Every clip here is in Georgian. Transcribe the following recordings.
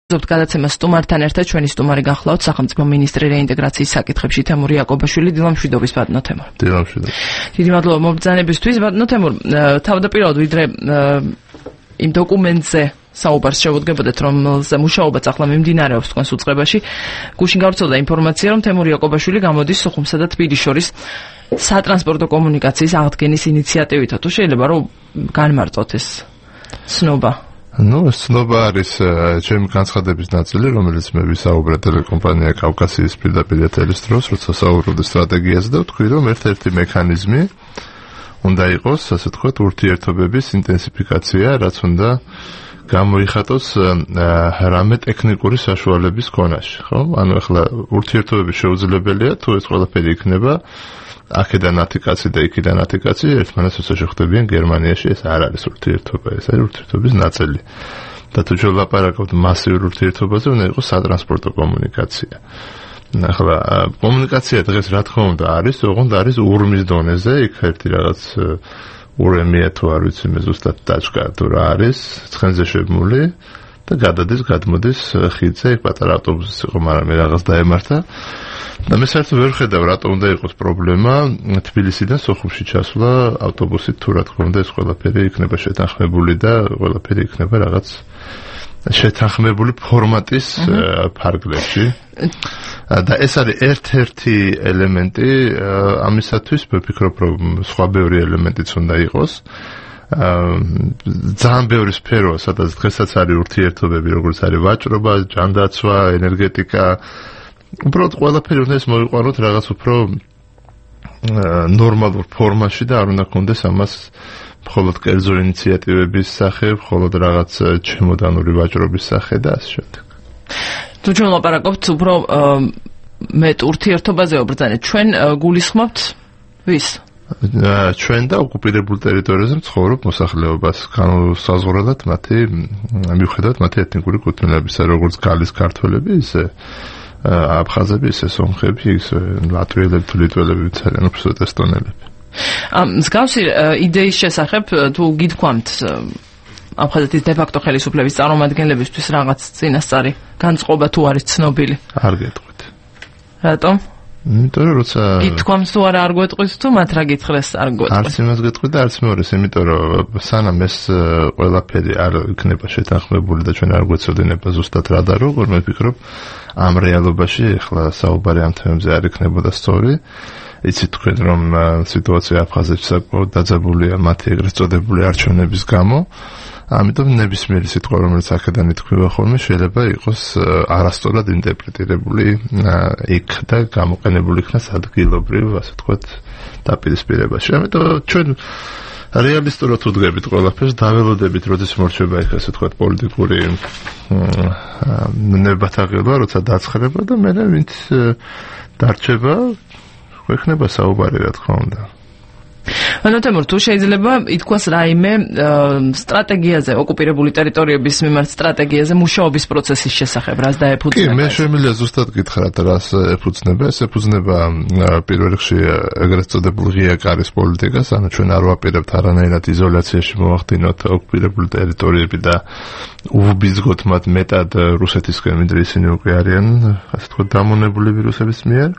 გადაცემა სტუმართან ერთად ჩვენი სტუმარი გახლავთ სახელმწიფო მინისტრი რეინტეგრაციის საკითხებში თემურ იაკობაშვილი. დილამშვიდობის ბატონო თემურ. დილამშვიდობა. დიდი მადლობა მობრძანებისთვის ბატონო თემურ. თავდაპირველად ვიდრე იმ დოკუმენტზე საუბარს შევუდგებოდეთ, რომელზე მუშაობაც ახლა მიმდინარეობს თქვენს უწყებაში. გუშინ გავრცელდა ინფორმაცია, რომ თემურ იაკობაშვილი გამოდის სოხუმსა და თბილისის შორის სატრანსპორტო კომუნიკაციის აღდგენის ინიციატივითო. თუ შეიძლება რომ განმარტოთ ეს ცნობა. ცნობა არის ჩემი განცხადების ნაწილი, რომელიც მე ვისაუბრე ტელეკომპანია კავკასიის პირდაპირ ეთერის დროს, როცა საუბრობდი სტრატეგიაზე და ვთქვი, რომ ერთ-ერთი მექანიზმი უნდა იყოს, ასე ვთქვათ, ურთიერთობების ინტენსიფიკაცია, რაც უნდა გამოიხატოს რამე ტექნიკური საშუალების ქონაში, ხო? ანუ ახლა ურთიერთობები შეუძლებელია, თუ ეს ყველაფერი იქნება აქედან 10 კაცი და იქიდან 10 კაცი ერთმანეთს შეხვდებიან გერმანიაში, ეს არ არის ურთიერთობა, ეს არის ურთიერთობის ნაწილი. და თუ ვილაპარაკობთ მასიურ ურთიერთობაზე, უნდა იყოს სატრანსპორტო კომუნიკაცია. ახლა კომუნიკაცია დღეს რა თქმა უნდა არის, ოღონდ არის ურმის დონეზე, იქ ერთი რაღაც ურემია თუ არ ვიცი მე ზუსტად დაჭკა თუ რა არის, ცხენზე შემული და გადადის, გადმოდის ხიდზე, იქ პატარა ავტობუსი იყო, მაგრამ მე რაღაც დაემართა. და მე საერთოდ ვერ ხედავ რატომ უნდა იყოს პრობლემა თბილისიდან სოხუმში ჩასვლა ავტობუსით, თუ რა თქმა უნდა ეს ყველაფერი იქნება შეთანხმებული და ყველაფერი იქნება რაღაც შეთანხმებული ფორმატის ფარგლებში. და ეს არის ერთ-ერთი ელემენტი ამისათვის, ვფიქრობ, რომ სხვა ბევრი ელემენტიც უნდა იყოს. ძალიან ბევრი სფეროა, სადაც დღესაც არის ურთიერთობები, როგორც არის ვაჭრობა, ჯანდაცვა, ენერგეტიკა. უბრალოდ ყველაფერი უნდა ეს მოიყვანოთ რაღაც უფრო ნორმალურ ფორმაში და არ უნდა გქონდეს ამას მხოლოდ კერძო ინიციატივების სახე, მხოლოდ რაღაც ჩემოდანური ვაჭრობის სახე და ასე შემდეგ. თუ ჩვენ ლაპარაკობთ უფრო მეტ ურთიერთობაზე ვბრძანეთ, ჩვენ გულისხმობთ ვის? ჩვენ და ოკუპირებულ ტერიტორიაზე მცხოვრებ მოსახლეობას განსაზღვრულად მათი მიუხედავად მათი ეთნიკური კუთვნილებისა, როგორც გალის ქართველები, ისე აფხაზები, ისე სომხები, ისე ლატვიელები, თუ ლიტველები, ძალიან უბრალოდ ესტონელები. მსგავსი იდეის შესახებ თუ გითქვამთ აფხაზეთის დე-ფაქტო ხელისუფლების წარმომადგენლებისთვის რაღაც წინასწარი განწყობა თუ არის ცნობილი? არ გეტყვით. რატომ? იმიტომ რომ როცა გითქვამს თუ არა არ გვეტყვით თუ მათ რა გითხრეს არ გვეტყვით? არც იმას გეტყვით და არც მეორეს, იმიტომ რომ სანამ ეს ყველაფერი არ იქნება შეთანხმებული და ჩვენ არ გვეცოდინება ზუსტად რა და როგორ, მე ვფიქრობ ამ რეალობაში ახლა საუბარი ამ თემებზე არ იქნებოდა სწორი. იცით თქვენ რომ სიტუაცია აფხაზეთში საკმაოდ დაძაბულია მათი ეგრეთ წოდებული არჩევნების გამო. ამიტომ ნებისმიერი სიტყვა, რომელიც აქედან ითქმება ხოლმე, შეიძლება იყოს არასწორად ინტერპრეტირებული იქ და გამოყენებული იქნას ადგილობრივ, ასე ვთქვათ, დაპირისპირებაში. ამიტომ ჩვენ რეალისტურად ვდგებით ყველაფერს, დაველოდებით, როდის მორჩება იქ, ასე ვთქვათ, პოლიტიკური ნებათაღელვა, როცა დაცხრება და მე ვინც დარჩება, გვექნება საუბარი, რა თქმა უნდა. ანუ თემურ, თუ შეიძლება ითქვას რაიმე სტრატეგიაზე, ოკუპირებული ტერიტორიების მიმართ სტრატეგიაზე მუშაობის პროცესის შესახებ, რას დაეფუძნება? კი, მე შემიძლია ზუსტად გითხრათ, რას ეფუძნება. ეს ეფუძნება პირველ რიგში ეგრეთ წოდებულ ღია კარის პოლიტიკას, ანუ ჩვენ არ ვაპირებთ არანაირად იზოლაციაში მოვახდინოთ ოკუპირებული ტერიტორიები და უბიძგოთ მათ მეტად რუსეთისკენ, ვიდრე ისინი უკვე არიან, ასე ვთქვათ, დამონებულები რუსების მიერ.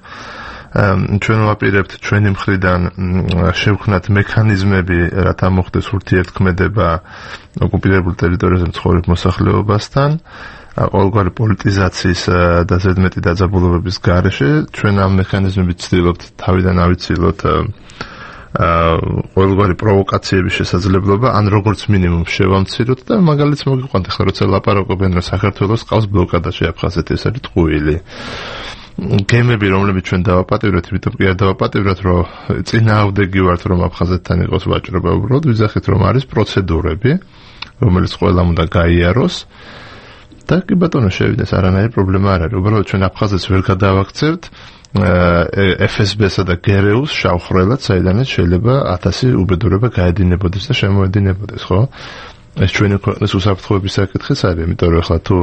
ჩვენ ვაპირებთ ჩვენი მხრიდან შევქმნათ მექანიზმები, რათა მოხდეს ურთიერთქმედება ოკუპირებულ ტერიტორიაზე მცხოვრებ მოსახლეობასთან, ყოველგვარი პოლიტიზაციის და ზედმეტი დაძაბულობების გარეშე. ჩვენ ამ მექანიზმებით ვცდილობთ თავიდან ავიცილოთ ყოველგვარი პროვოკაციების შესაძლებლობა, ან როგორც მინიმუმ შევამციროთ და მაგალითს მოგიყვანთ, ახლა როცა ლაპარაკობენ, რომ საქართველოს ყავს ბლოკადაში აფხაზეთი, ეს არის ტყუილი. გემები, რომლებიც ჩვენ დავაპატივრეთ, იმიტომ კი არ დავაპატივრეთ, რომ წინააღმდეგი ვართ, რომ აფხაზეთთან იყოს ვაჭრობა, უბრალოდ ვიზახით, რომ არის პროცედურები, რომელიც ყველამ უნდა გაიაროს და კი ბატონო შევიდეს, არანაირი პრობლემა არ არის. უბრალოდ ჩვენ აფხაზეთს ვერ გადავაქცევთ FSB-სა და GRU-ს შავხრელად, საიდანაც შეიძლება 1000 უბედურება გაედინებოდეს და შემოედინებოდეს, ხო? ეს ჩვენი ქვეყნის უსაფრთხოების საკითხიც არის, იმიტომ რომ ახლა თუ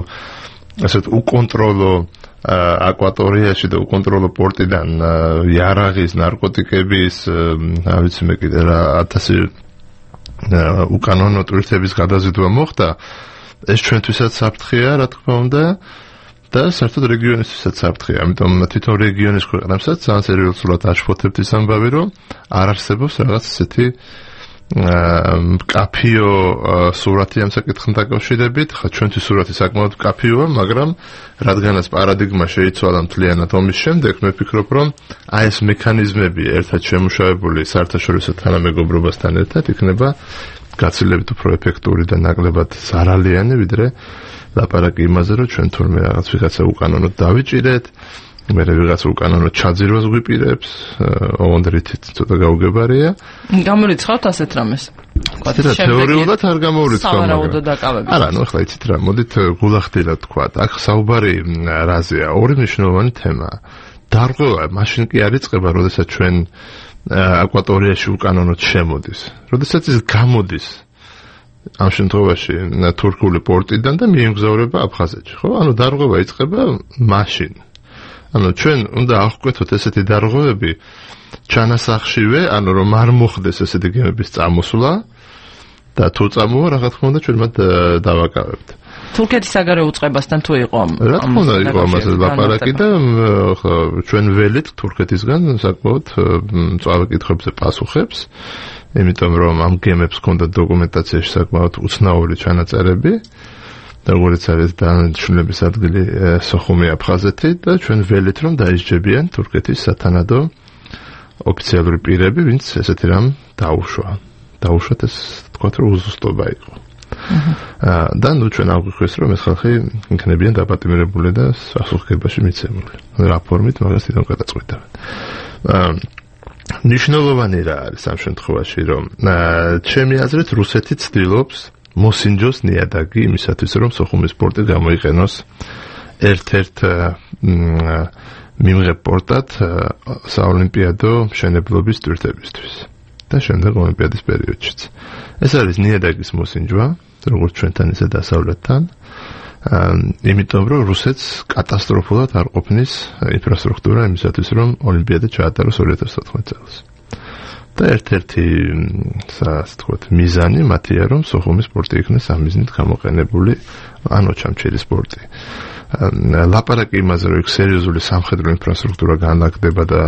ასეთ უკონტროლო აკვატორიაში და უკონტროლო პორტიდან იარაღის, ნარკოტიკების, რა ვიცი მე კიდე რა 1000 უკანონო ტურისტების გადაზიდვა მოხდა, ეს ჩვენთვისაც საფრთხეა, რა თქმა უნდა, და საერთოდ რეგიონისთვისაც საფრთხეა. ამიტომ თვითონ რეგიონის ქვეყნებსაც ძალიან სერიოზულად აშფოთებთ ის ამბავი, რომ არ არსებობს რაღაც ესეთი კაფიო სურათი ამ საკითხთან დაკავშირებით. ხა ჩვენთვის სურათი საკმაოდ კაფიოა, მაგრამ რადგანაც პარადიგმა შეიცვალა მთლიანად ომის შემდეგ, მე ვფიქრობ, რომ აი ეს მექანიზმები ერთად შემუშავებული საერთაშორისო თანამეგობრობასთან ერთად იქნება გაცილებით უფრო ეფექტური და ნაკლებად ზარალიანი, ვიდრე ლაპარაკი იმაზე, რომ ჩვენ თურმე რაღაც ვიღაცა უკანონოდ დავიჭირეთ, მე ვიღაც უკანონოდ ჩაძირვას გვიპირებს, ოღონდ რითიც ცოტა გაუგებარია. გამორიცხავთ ასეთ რამეს? თეორიულად არ გამორიცხავ. სავარაუდო დაკავებით. არა, ნუ ახლა იცით რა, მოდით გულახდილად თქვა. აქ საუბარი რაზეა? ორი მნიშვნელოვანი თემაა. დარღვევა მაშინ კი არ იწყება, როდესაც ჩვენ აკვატორიაში უკანონოდ შემოდის. როდესაც ის გამოდის ამ შემთხვევაში თურქული პორტიდან და მიემგზავრება აფხაზეთში, ხო? ანუ დარღვევა იწყება მაშინ. ანუ ჩვენ უნდა აღკვეთოთ ესეთი დარღვევები ჩანასახშივე, ანუ რომ არ მოხდეს ესეთი გემების წამოსვლა და თუ წამოვა, რა თქმა უნდა ჩვენ მათ დავაკავებთ. თურქეთის საგარეო უწყებასთან თუ იყო ამ რა თქმა უნდა იყო ამაზე ლაპარაკი და ჩვენ ველით თურქეთისგან საკმაოდ მწვავე კითხვებზე პასუხებს, იმიტომ რომ ამ გემებს ჰქონდა დოკუმენტაციაში საკმაოდ უცნაური ჩანაწერები, როგორც არის დანიშნულების ადგილი სოხუმი აფხაზეთი და ჩვენ ველით რომ დაისჯებიან თურქეთის სათანადო ოფიციალური პირები, ვინც ესეთი რამ დაუშვათ, ეს თქვა რომ უზუსტობა იყო. და ნუ ჩვენ აღვიქვეს რომ ეს ხალხი იქნებიან დაპატიმრებული და სასუხგებაში მიცემული. რა ფორმით მაგას თვითონ გადაწყვეტავენ. ნიშნულოვანი რა არის ამ შემთხვევაში, რომ ჩემი აზრით რუსეთი ცდილობს მოსინჯოს ნიადაგი იმისათვის, რომ სოხუმის პორტი გამოიყენოს ერთ-ერთ მიმღებ პორტად საოლიმპიადო მშენებლობის ტვირთებისთვის და შემდეგ ოლიმპიადის პერიოდშიც. ეს არის ნიადაგის მოსინჯვა, როგორც ჩვენთან ისე დასავლეთთან, იმიტომ რომ რუსეთს კატასტროფულად არ ყოფნის ინფრასტრუქტურა იმისათვის, რომ ოლიმპიადა ჩაატაროს 2014 წელს. და ერთ-ერთი მიზანი მათია, რომ სოხუმის პორტი იქნეს ამ მიზნით გამოყენებული, ან ოჩამჩირის პორტი. ლაპარაკი იმაზე, რომ იქ სერიოზული სამხედრო ინფრასტრუქტურა განლაგდება და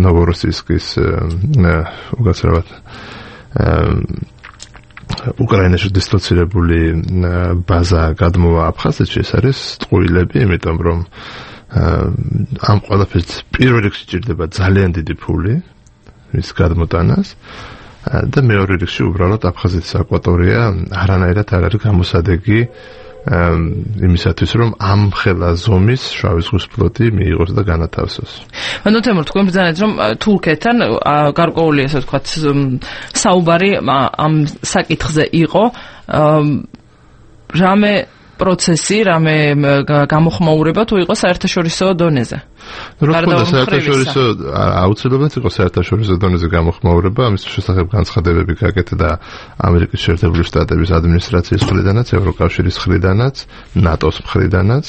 ნოვოროსიისკის უკაცრავად უკრაინაში დისლოცირებული ბაზა გადმოვა აფხაზეთში, ეს არის ტყუილები, იმიტომ რომ ამ ყველაფერს პირველ რიგში ჭირდება ძალიან დიდი ფული მის გადმოტანას და მეორე რიგში უბრალოდ აფხაზეთის აკვატორია არანაირად არ არის გამოსადეგი იმისათვის, რომ ამ ხელა ზომის შავი ზღვის ფლოტი მიიღოს და განათავსოს. ანუ თემურ, თქვენ ბრძანეთ, რომ თურქეთთან გარკვეული, ასე ვთქვათ, საუბარი ამ საკითხზე იყო, რამე პროცესი, რამე გამოხმაურება თუ იყო საერთაშორისო დონეზე. რა თქმა უნდა, საერთაშორისო აუცილებლად იყო საერთაშორისო დონეზე გამოხმაურება, ამის შესახებ განცხადებები გაკეთდა და ამერიკის შეერთებული შტატების ადმინისტრაციის მხრიდანაც, ევროკავშირის მხრიდანაც, ნატოს მხრიდანაც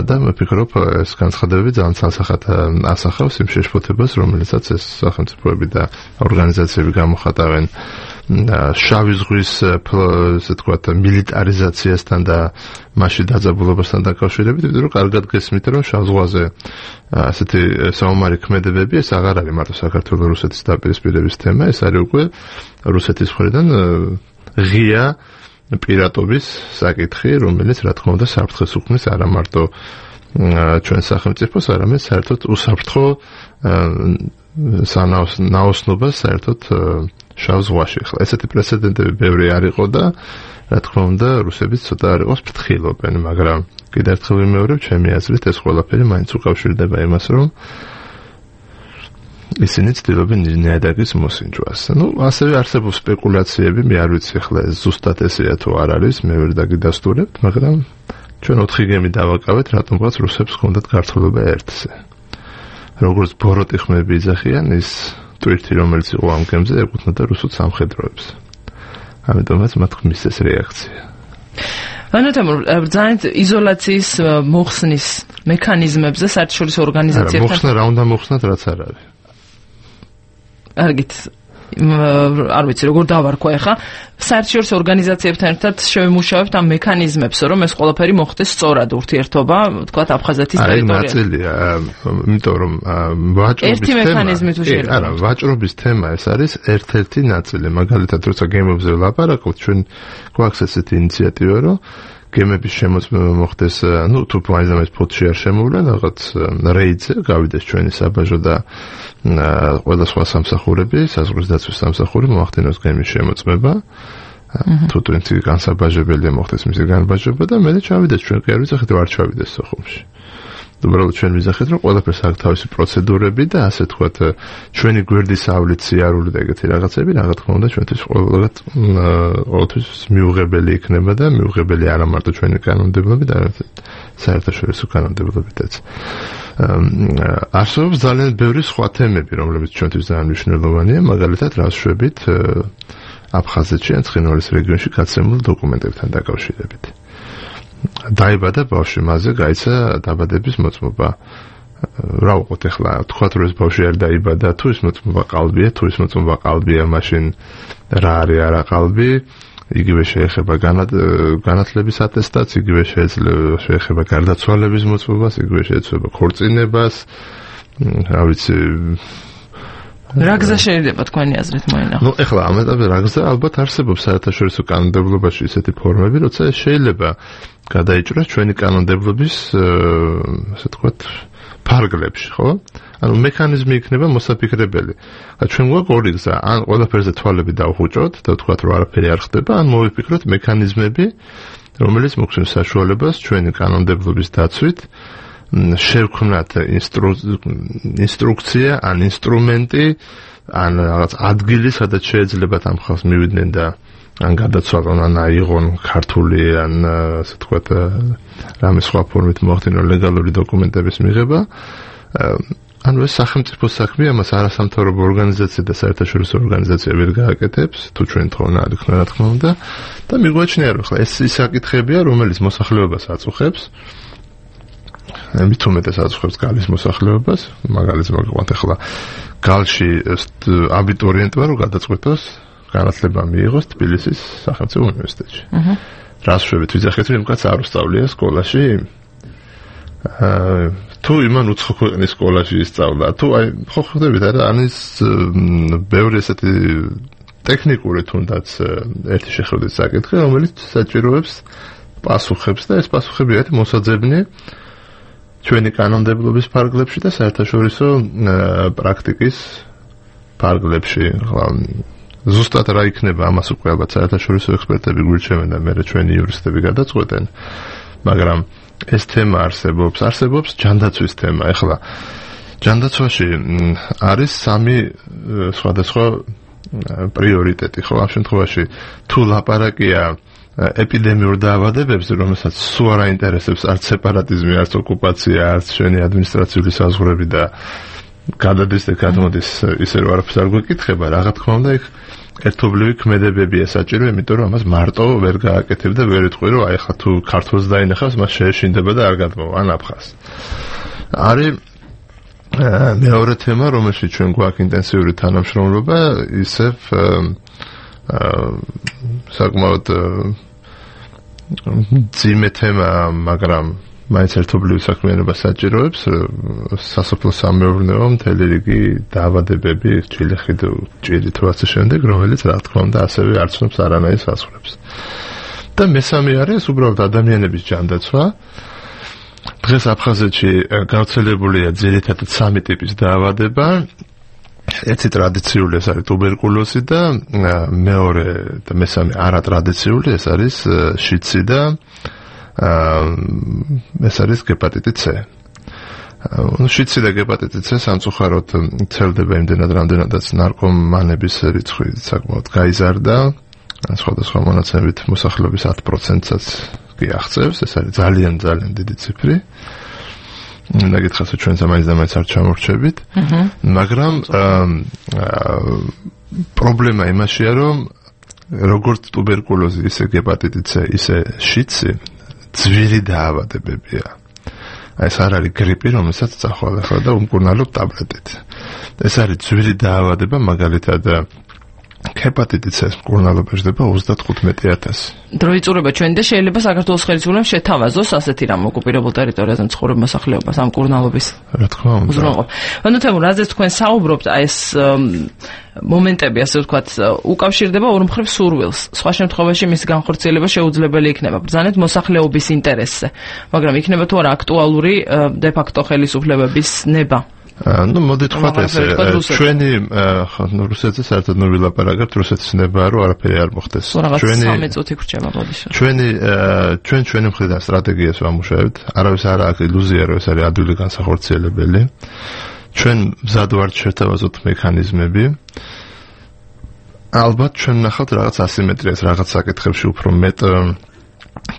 და მე ვფიქრობ, ეს განცხადებები ძალიან ცალსახად ასახავს იმ შეშფოთებას, რომელიცაც ეს სახელმწიფოები და ორგანიზაციები გამოხატავენ შავი ზღვის, ესე ვთქვათ, მილიტარიზაციასთან და მასში დაძაბულობასთან დაკავშირებით, ვიდრე რომ კარგად გესმით, რომ შავ ზღვაზე ასეთი საომარი ქმედებები, ეს აღარ არის მარტო საქართველოს-რუსეთის დაპირისპირების თემა, ეს არის უკვე რუსეთის მხრიდან ღია პირატობის საკითხი, რომელიც რა თქმა უნდა საფრთხეს უქმნის არა მარტო ჩვენ სახელმწიფოს, არამედ საერთოდ უსაფრთხო ნაოსნობას საერთოდ შავ ზღვაში. ახლა ესეთი პრეცედენტები ბევრი არ იყო და რა თქმა უნდა რუსებიც ცოტა არ იყოს ფრთხილობენ, მაგრამ კიდევ ერთხელ ვიმეორებ, ჩემი აზრით ეს ყველაფერი მაინც უკავშირდება იმას, რომ ისინი ცდილობენ ნიადაგის მოსინჯვას. ნუ ასევე არსებობს სპეკულაციები, მე არ ვიცი ახლა ეს ზუსტად ესეა თუ არ არის, მე ვერ დაგიდასტურებთ, მაგრამ ჩვენ 4 გემი დავაკავეთ, რატომღაც რუსებს ჰქონდათ გართულება ერთზე. როგორც ბოროტი ხმები იძახიან, ის ტვირთი, რომელიც იყო ამ გემზე, ეკუთვნოდა რუსულ სამხედროებს. ამიტომაც მათ ხმის ეს რეაქცია. ანუ თემურ, ბრძანეთ იზოლაციის მოხსნის მექანიზმებზე საერთაშორისო ორგანიზაციებთან. მოხსნა რა უნდა მოხსნათ, რაც არ არის. კარგით. არ ვიცი როგორ დავარქვა ეხა საერთაშორისო ორგანიზაციებთან ერთად შევიმუშავებთ ამ მექანიზმებს რომ ეს ყველაფერი მოხდეს სწორად ურთიერთობა თქვათ აფხაზეთის ტერიტორიაზე ნაწილია იმიტომ რომ ერთი მექანიზმი თუ შეიძლება არა ვაჭრობის თემა ეს არის ერთ-ერთი ნაწილი მაგალითად როცა გემებზე ვლაპარაკობთ ჩვენ გვაქვს ესეთი ინიციატივა რომ გემების შემოწმება მოხდეს თუ მაინც ფოთში არ შემოვლენ რაღაც რეიდზე გავიდეს ჩვენი საბაჟო და ყველა სხვა სამსახურები საზღვრის დაცვის სამსახური მოახდინოს გემის შემოწმება თუ თუნდაც განსაბაჟებელია მოხდეს მისი განბაჟება და მე ჩავიდეს ჩვენ კი არ ვიცახით ვარ ჩავიდეს სოხუმში უბრალოდ ჩვენ ვიზახეთ რომ ყველაფერს აქვს თავისი პროცედურები და ასე თქვათ ჩვენი გვერდის ავლით სიარული და ეგეთი რაღაცები რა თქმა უნდა ჩვენთვის ყოველთვის მიუღებელი იქნება და მიუღებელი არა მარტო ჩვენი კანონმდებლობით არამედ საერთაშორისო კანონმდებლობითაც არსებობს ძალიან ბევრი სხვა თემები რომლებიც ჩვენთვის ძალიან მნიშვნელოვანია მაგალითად რა ვშვებით აფხაზეთში ან ცხინვალის რეგიონში გაცემულ დოკუმენტებთან დაკავშირებით დაიბადა ბავშვი მასზე გაიცა დაბადების მოწმობა რა ვუყოთ ახლა თქვათ რომ ეს ბავშვი არ დაიბადა თუ ის მოწმობა ყალბია თუ ის მოწმობა ყალბია მაშინ რა არის არა ყალბი იგივე შეეხება განათლების ატესტატს იგივე შეეხება გარდაცვალების მოწმობას იგივე შეეხება ქორწინებას რა ვიცი რა გზა შეიძლება თქვენი აზრით მოინახოთ? ნუ ეხლა ამ ეტაპზე რა გზა ალბათ არსებობს საერთაშორისო კანონმდებლობაში ისეთი ფორმები, როცა შეიძლება გადაიჭრას ჩვენი კანონმდებლობის ასე თქვათ ფარგლებში, ხო? ანუ მექანიზმი იქნება მოსაფიქრებელი. ჩვენ გვაქვს ორი გზა, ან ყველაფერზე თვალები დავხუჭოთ და ვთქვათ რომ არაფერი არ ხდება, ან მოვიფიქროთ მექანიზმები, რომელიც მოგვცემს საშუალებას ჩვენი კანონმდებლობის დაცვით შევქმნათ ინსტრუქცია ან ინსტრუმენტი ან რაღაც ადგილი სადაც შეეძლებათ ამ ხალხს მივიდნენ და ან გადაცვალონ ან აიღონ ქართული ან ასე თქვათ რამე სხვა ფორმით მოახდინონ ლეგალური დოკუმენტების მიღება ანუ ეს სახელმწიფო საქმე ამას არასამთავრობო ორგანიზაცია და საერთაშორისო ორგანიზაცია ვერ გააკეთებს თუ ჩვენ თხოვნა არ იქნება რა თქმა უნდა და მიგვაჩნია რომ ხა ეს ის საკითხებია რომელიც მოსახლეობას აწუხებს მithumetes აწუხებს გალის მოსახლეობას მაგალითად მოგყვანთ ახლა გალში აბიტურიენტმა რომ გადაწყვეტოს განათლება მიიღოს თბილისის სახელმწიფო უნივერსიტეტში. რას შვებით ვიძახეთ რომ კაც არ უსწავლია სკოლაში თუ იმან უცხო ქვეყნის სკოლაში ისწავლა თუ აი ხო ხვდებით არა ანის ბევრი ესეთი ტექნიკური თუნდაც ერთი შეხედვით საკითხი რომელიც საჭიროებს პასუხებს და ეს პასუხები არის მოსაძებნი ჩვენი კანონმდებლობის ფარგლებში და საერთაშორისო პრაქტიკის ფარგლებში. ზუსტად რა იქნება ამას უკვე ალბათ საერთაშორისო ექსპერტები გვირჩევენ და მე ჩვენი იურისტები გადაწყვეტენ. მაგრამ ეს თემა არსებობს ჯანდაცვის თემა. ეხლა ჯანდაცვაში არის სამი სხვადასხვა პრიორიტეტი, ხო? ამ შემთხვევაში თუ ლაპარაკია ეპიდემიურ დაავადებებზე, რომელსაც სულ არ აინტერესებს არც სეპარატიზმი, არც ოკუპაცია, არც შენი ადმინისტრაციული საზღვრები და გადადის და გადმოდის ისე რომ არაფერს არ გვეკითხება, რა თქმა უნდა იქ ერთობლივი ქმედებებია საჭირო, იმიტომ რომ ამას მარტო ვერ გააკეთებ და ვერ იტყვი რომ აი ხა თუ ქართულს დაინახავს, მას შეეშინდება და არ გადმოვა ან აფხაზს. არის მეორე თემა, რომელშიც ჩვენ გვაქვს ინტენსიური თანამშრომლობა, ისევ საკმაოდ ძიმე თემა, მაგრამ მაინც ერთობლივი საქმიანობა საჭიროებს სასოფლო-სამეურნეო მთელი რიგი დაავადებები, ჭირი თუ ასე შემდეგ, რომელიც რა თქმა უნდა ასევე არ ცნობს არანაირ საზღვრებს. და მესამე არის უბრალოდ ადამიანების ჯანდაცვა. დღეს აფხაზეთში გავრცელებულია ძირითადად სამი ტიპის დაავადება. ერთი ტრადიციული ეს არის ტუბერკულოზი და მეორე და მესამე არატრადიციული ეს არის შიცი და ეს არის ჰეპატიტი C. შიცი და ჰეპატიტი C სამწუხაროდ ვრცელდება იმდენად რამდენადაც ნარკომანების რიცხვი საკმაოდ გაიზარდა. სხვადასხვა მონაცემებით მოსახლეობის 10%-საც კი აღწევს, ეს არის ძალიან ძალიან დიდი ციფრი. ნაგეთხას ჩვენ მაინც არ ჩამორჩებით, მაგრამ პრობლემა იმაშია, რომ როგორც ტუბერკულოზი, ისე ჰეპატიტი C, ისე შიცი ძვირი დაავადებებია. ეს არ არის გრიპი, რომელსაც წახვალ ახლა და უმკურნალობ ტაბლეტით. ეს არის ძვირი დაავადება, მაგალითად ჰეპატიტი C-ს მკურნალობა ჟდება 35,000. დრო იწურება ჩვენი და შეიძლება საქართველოს ხელისუფლებამ შეთავაზოს ასეთი რამ ოკუპირებულ ტერიტორიაზე მცხოვრებ მოსახლეობას ამ მკურნალობის. რა თქმა უნდა. უზრუნველყოფა. ანუ თემურ, რაზეც თქვენ საუბრობთ, აი ეს მომენტები, ასე ვთქვათ, უკავშირდება ორ მხრივ სურვილს. სხვა შემთხვევაში მის განხორციელება შეუძლებელი იქნება ბრძანეთ მოსახლეობის ინტერესზე. მაგრამ იქნება თუ არა აქტუალური დე-ფაქტო ხელისუფლებების ნება. Ну, მოდით ვთქვათ ესე, ჩვენი რუსეთზე საერთოდ ვილაპარაკებთ, რუსეთის ნება რომ არაფერი არ მოხდეს. ჩვენი 13 წუთი გრჩება ბოდიში. ჩვენი მხრიდან სტრატეგიას ვამუშავებთ. არავის არ აქვს ილუზია, რომ ეს არის ადვილი განსახორციელებელი. ჩვენ მზად ვართ შევთავაზოთ მექანიზმები. ალბათ ჩვენ ნახავთ რაღაც ასიმეტრიას, რაღაც საკითხებში უფრო მეტ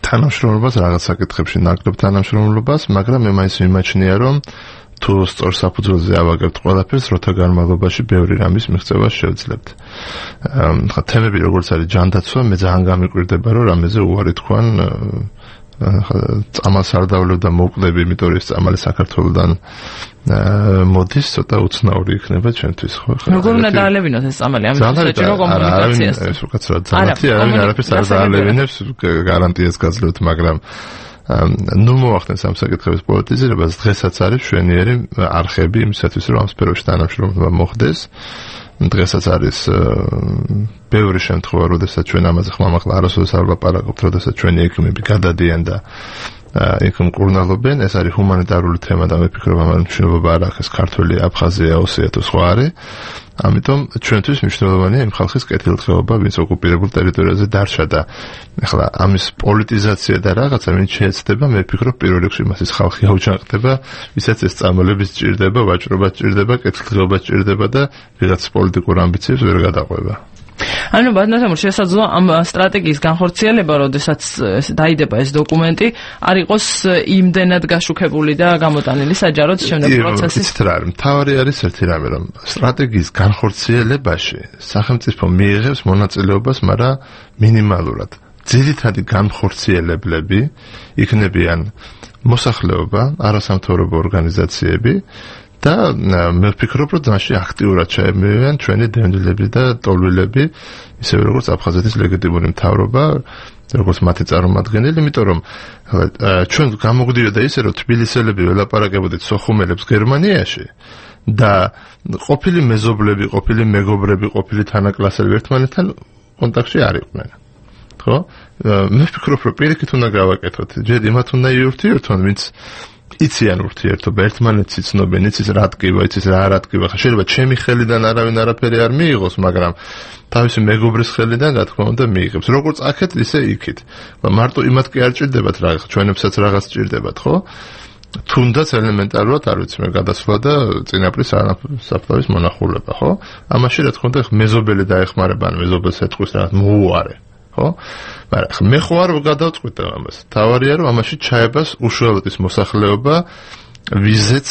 თანამშრომლობას, რაღაც საკითხებში ნაკლებ თანამშრომლობას, მაგრამ მე მაინც მიმაჩნია, რომ თუ სწორ საფუძველზე ავაგებთ ყველაფერს, როთა განმავლობაში ბევრი რამის მიღწევა შევძლებთ. ხა თემები როგორც არის ჯანდაცვა, მე ძალიან გამიკვირდება, რომ რამეზე უარი თქვან წამალს არ დავლევ და მოვკვდები, იმიტომ რომ ეს წამალი საქართველოდან მოდის, ცოტა უცნაური იქნება ჩვენთვის, ხო? როგორ უნდა დაალევინოთ ეს წამალი? ამიტომ საჭირო კომუნიკაციას. ეს უკაცრავად ძალათი, არავინ არაფერს არ დაალევინებს, გარანტიას გაძლევთ, მაგრამ ნუ მოახდენს ამ საკითხების პოლიტიზირებას, დღესაც არის მშვენიერი არხები იმისათვის, რომ ამ სფეროში თანამშრომლობა მოხდეს. დღესაც არის ბევრი შემთხვევა, როდესაც ჩვენ ამაზე ხმამაღლა არასოდეს არ ვლაპარაკობთ, როდესაც ჩვენი ექიმები გადადიან და იქ მკურნალობენ. ეს არის ჰუმანიტარული თემა და მე ვფიქრობ, ამ მნიშვნელობა არ აქვს ქართველი, აფხაზია, ოსია თუ სხვა არის. ამიტომ ჩვენთვის მნიშვნელოვანია იმ ხალხის კეთილდღეობა, ვინც ოკუპირებულ ტერიტორიაზე დარჩა და ეხლა ამის პოლიტიზაცია და რაღაცა ვინც შეეცდება, მე ვფიქრობ პირველ რიგში მასის ხალხი აუჯანყდება, ვისაც ეს წამალები სჭირდება, ვაჭრობა სჭირდება, კეთილდღეობა სჭირდება და ვიღაც პოლიტიკურ ამბიციებს ვერ გადაყვება. ანუ ბატონო, შესაძლოა ამ სტრატეგიის განხორციელება, როდესაც დაიდება ეს დოკუმენტი, არ იყოს იმდენად გაშუქებული და გამოტანილი საჯაროდ შემდეგ პროცესის. იცით რა არის, მთავარი არის ერთი რამე, რომ სტრატეგიის განხორციელებაში სახელმწიფო მიიღებს მონაწილეობას, მაგრამ მინიმალურად. ძირითადი განხორციელებლები იქნებიან მოსახლეობა, არასამთავრობო ორგანიზაციები და მე ვფიქრობ, რომ მასში აქტიურად ჩაებმევიან ჩვენი დევნილები და ტოლვილები, ისევე როგორც აფხაზეთის ლეგიტიმური მთავრობა, როგორც მათი წარმომადგენელი, იმიტომ რომ ჩვენ გამოგვდიოდა ისე, რომ თბილისელები ველაპარაკებოდით სოხუმელებს გერმანიაში და ყოფილი მეზობლები, ყოფილი მეგობრები, ყოფილი თანაკლასელები ერთმანეთთან კონტაქტში არ იყვნენ. ხო? მე ვფიქრობ, რომ პირიქით უნდა გავაკეთოთ. ჯერ იმათ უნდა იურთიერთონ, ვინც იციან ურთიერთობა, ერთმანეთს იცნობენ, იცის რა ტკივა, იცის რა არ ტკივა. შეიძლება ჩემი ხელიდან არავინ არაფერი არ მიიღოს, მაგრამ თავისი მეგობრის ხელიდან რა თქმა უნდა მიიღებს. როგორც აქეთ, ისე იქით. მარტო იმათ კი არ ჭირდებათ რაღაც, ჩვენებსაც რაღაც ჭირდებათ, ხო? თუნდაც ელემენტარულად არ ვიცი მე გადასვლა და წინაპრის საფლავის მონახულება, ხო? ამაში რა თქმა უნდა მეზობელი დაეხმარება, ან მეზობელს ეთქვის რაღაც მოუარე. ხო? მაგრამ მე ხო არ გადავწყვიტე ამას. თავარია რომ ამაში ჩაებას უშუალოდ ის მოსახლეობა, ვიზეც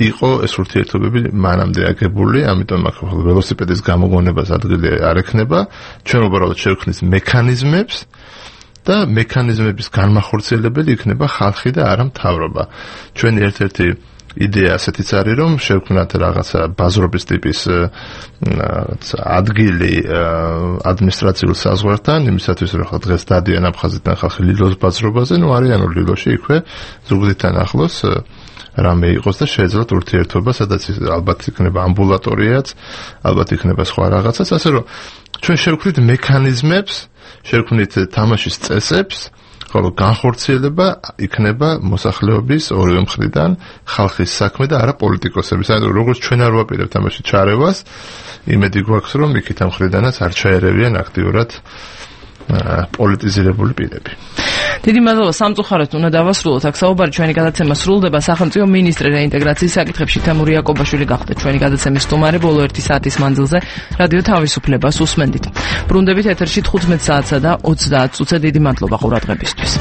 იყო ეს ურთიერთობები მანამდე აგებული, ამიტომ აქ ველოსიპედის გამოგონებას ადგილი არ ექნება. ჩვენ უბრალოდ შევქმნით მექანიზმებს და მექანიზმების განმახორციელებელი იქნება ხალხი და არა მთავრობა. ჩვენი ერთ-ერთი იდეა ასეთიც არის, რომ შევქმნათ რაღაცა ბაზრობის ტიპის ადგილი ადმინისტრაციულ საზღვართან, იმისათვის რომ დღეს დადიან აფხაზეთიდან ხალხი ლილოს ბაზრობაზე, ნუ არიან ლილოში იქვე ზუგდიდთან ახლოს რამე იყოს და შეეძლოთ ურთიერთობა, სადაც ალბათ იქნება ამბულატორიაც, ალბათ იქნება სხვა რაღაცაც, ასე რომ ჩვენ შევქმნით მექანიზმებს, შევქმნით თამაშის წესებს, ხოლო განხორციელება იქნება მოსახლეობის ორივე მხრიდან, ხალხის საქმე და არა პოლიტიკოსების. ანუ როგორც ჩვენ არ ვაპირებთ ამაში ჩარევას, იმედი გვაქვს, რომ იქით ამ მხრიდანაც არ ჩაერევიან აქტიურად პოლიტიზირებული პირები. დიდი მადლობა, სამწუხაროდ უნდა დავასრულოთ. აქ საუბარი ჩვენი გადაცემა სრულდება. სახელმწიფო მინისტრი რეინტეგრაციის საკითხებში თემური იაკობაშვილი გახდა ჩვენი გადაცემის სტუმარი ბოლო 1 საათის მანძილზე რადიო თავისუფლებას უსმენდით. ბრუნდებით ეთერში 15 საათსა და 30 წუთზე. დიდი მადლობა ყურადღებისთვის.